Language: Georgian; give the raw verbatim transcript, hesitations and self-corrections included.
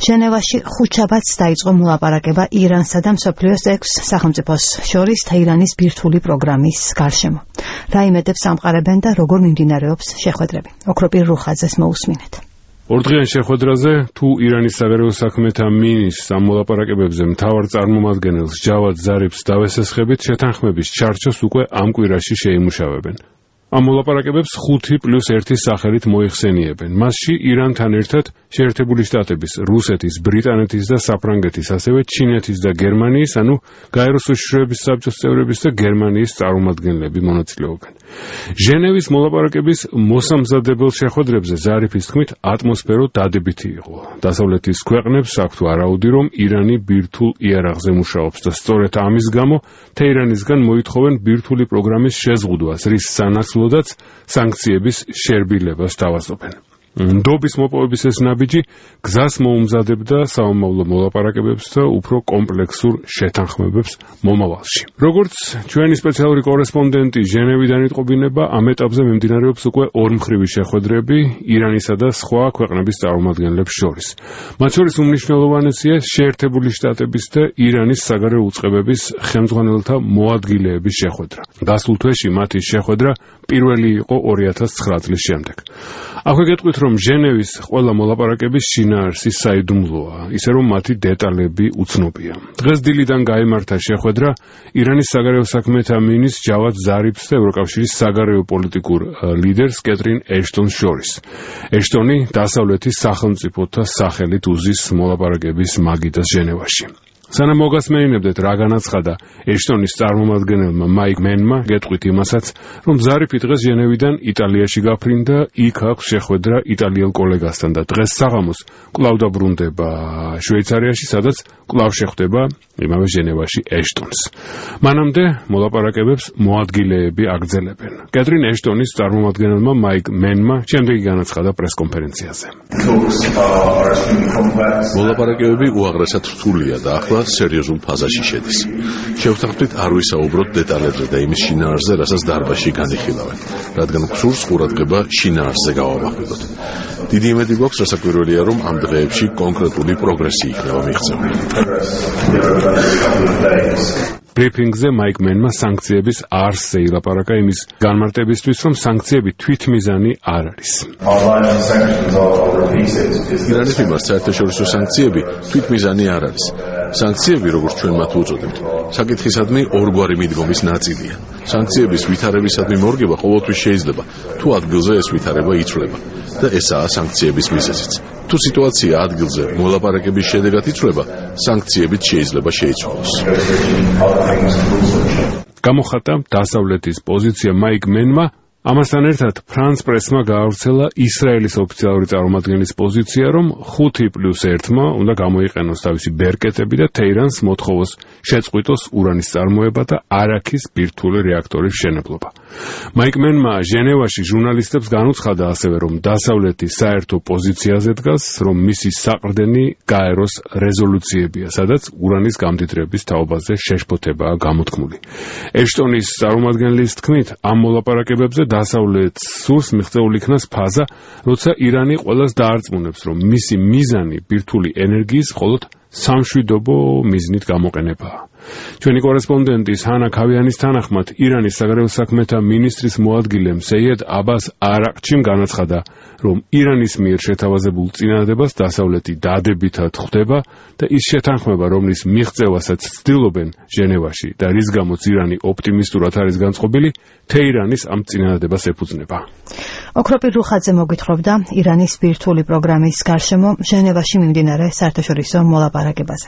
ჟენევაში ხუთშაბათს დაიწყო მოლაპარაკება ირანსა და მსოფლიოს ექვს სახელმწიფოს შორის თეირანის ბირთვული პროგრამის გარშემო. რა იმედებს ამყარებენ და როგორ მიმდინარეობს შეხვედრები? ოქროპირ რუხაძეს მოусმინეთ. ორდღიან შეხვედრაზე თუ ირანის საგარეო საქმეთა მინისტრს ამ მოლაპარაკებებზე მთავარ წარმომადგენელს ჯავად ზარიფს დავესესხებით, შეთანხმების ჩარჩოს უკვე ამ კვირაში შეიმუშავებენ. ამ მოლაპარაკებებს ხუთი პლუს ერთი სახელით მოიხსენიებენ. მასში ირანთან ერთად შეერთებული შტატების, რუსეთის, ბრიტანეთის და საფრანგეთის, ასევე ჩინეთის და გერმანიის, ანუ გაეროს უშიშროების საბჭოს წევრების და გერმანიის წარმომადგენლები მონაწილეობენ. ჟენევის მოლაპარაკების მოსამზადებელ შეხვედრებზე ზარიფის თქმით ატმოსფერო დადებითი იყო. დასავლეთის ქვეყნებს აქვთ ვარაუდი, რომ ირანი ბირთვულ იარაღზე მუშაობს და სწორედ ამის გამო თეირანისგან მოითხოვენ ბირთვული პროგრამის შეზღუდვას, რის სანაცვლოდაც სანქციების შერბილებას თავაზობენ. ნდობის მოპოვების ეს ნაბიჯი გზას მოუმზადებდა საომავლო მოლაპარაკებებს და უფრო კომპლექსურ შეთანხმებებს მომავალში. როგორც ჩვენი სპეციალური კორესპონდენტი ჟენევიდან იტყობინება, ამ ეტაპზე მიმდინარეობს უკვე ორმხრივი შეხვედრები ირანისა და სხვა ქვეყნების წარმომადგენლებს შორის. მათ შორის უმნიშვნელოვანესია შეერთებული შტატების და ირანის საგარეო უწყებების ხელმძღვანელთა მოადგილეების შეხვედრა. გასულ თვეში მათი შეხვედრა პირველი იყო ორი ათას ცხრა წლის შემდეგ. აქვე გეტყვით, რომ ჟენევის ყველა მოლაპარაკების შინაარსი საიდუმლოა, ისე რომ მათი დეტალები უცნობია. დღეს დილიდან გაიმართა შეხვედრა ირანის საგარეო საქმეთა მინისტრ ჯავად ზარიფს და ევროკავშირის საგარეო პოლიტიკურ ლიდერს კეტრინ ეშტონს შორის. ეშტონი დასავლეთის სახელმწიფოთა სახელით უზის მოლაპარაკების მაგიდას ჟენევაში. სანამ მოგასმეინებდეთ რა განაცხადა ეშტონის წარმომადგენელმა მაიკ მენმა, გეტყვით იმასაც, რომ ზარიფი დღეს ჟენევიდან იტალიაში გაფრინდა, იქ აქვს შეხვედრა იტალიელ კოლეგასთან და დღეს საღამოს კვლავ დაბრუნდება შვეიცარიაში, სადაც კვლავ შეხვდება იმავე ჟენევაში ეშტონს. მანამდე მოლაპარაკებებს მოადგილეები აგრძელებენ. კეტრინ ეშტონის წარმომადგენელმა მაიკ მენმა შემდეგი განაცხადა პრესკონფერენციაზე. მოლაპარაკებები უაღრესად რთულია და ახლა სერიოზულ ფაზაში შედის. შევთანხმდით არ ვისაუბროთ დეტალებზე და იმის შინაარსზე, რასაც დარბაზში განიხილავენ, რადგან გსურს ყურადღება შინაარსზე გავამახვილოთ. დიდი იმედი გვაქვს, რასაკვირველია, რომ ამ დღეებში კონკრეტული პროგრესი იქნება მიღწეული. ბრიფინგზე მაიკ მენმა სანქციების არსზე ილაპარაკა იმის განმარტებისთვის, რომ სანქციები თვითმიზანი არ არის. ირანის მიმართ საერთაშორისო სანქციები თვითმიზანი არ არის. სანქციები, როგორც ჩვენ მათ უწოდებთ, საკითხისადმი ორგვარი მიდგომის ნაწილია. სანქციების ვითარებისადმი მორგება ყოველთვის შეიძლება, თუ ადგილზე ეს ვითარება იცვლება და ესაა სანქციების მიზეზიც. თუ სიტუაცია ადგილზე მოლაპარაკების შედეგად იცვლება, სანქციებით შეიძლება შეიცვალოს. გამოხატა დასავლეთის პოზიცია მაიკ მენმა. ამასთან ერთად ფრანს პრესმა გაავრცელა ისრაელის ოფიციალური წარმომადგენლის პოზიცია, რომ ხუთი პლუს ერთმა უნდა გამოიყენოს თავისი ბერკეტები და თეირანს მოთხოვოს შეწყვიტოს ურანის წარმოება და არაქის ბირთვული რეაქტორის მშენებლობა. მაიკ მენმა ჟენევაში ჟურნალისტებს განუცხადა ასევე, რომ დასავლეთი საერთო პოზიციაზე დგას, რომ მისი საყრდენი გაეროს რეზოლუციებია, სადაც ურანის გამდიდრების თაობაზე შეშფოთებაა გამოთქმული. ეშტონის წარმომადგენლის თქმით, ამ მოლაპარაკებებზე დასავლეთს სურს მიღწეული იქნას ფაზა, როცა ირანი ყველას დაარწმუნებს, რომ მისი მიზანი ბირთვული ენერგიის მხოლოდ სამშვიდობო მიზნით გამოყენებაა. ჩვენი კორესპონდენტის ჰანა ქავიანის თანახმად, ირანის საგარეო საქმეთა მინისტრის მოადგილემ სეიედ აბას არაყჩიმ განაცხადა, რომ ირანის მიერ შეთავაზებულ წინადადებას დასავლეთი დადებითად ხვდება და ის შეთანხმება, რომლის მიღწევასაც ცდილობენ ჟენევაში და რის გამოც ირანი ოპტიმისტურად არის განწყობილი, თეირანის ამ წინადადებას ეფუძნება. ოქროპირ რუხაძე მოგვითხრობდა ირანის ბირთვული პროგრამის გარშემო ჟენევაში მიმდინარე საერთაშორისო მოლაპარაკებაზე.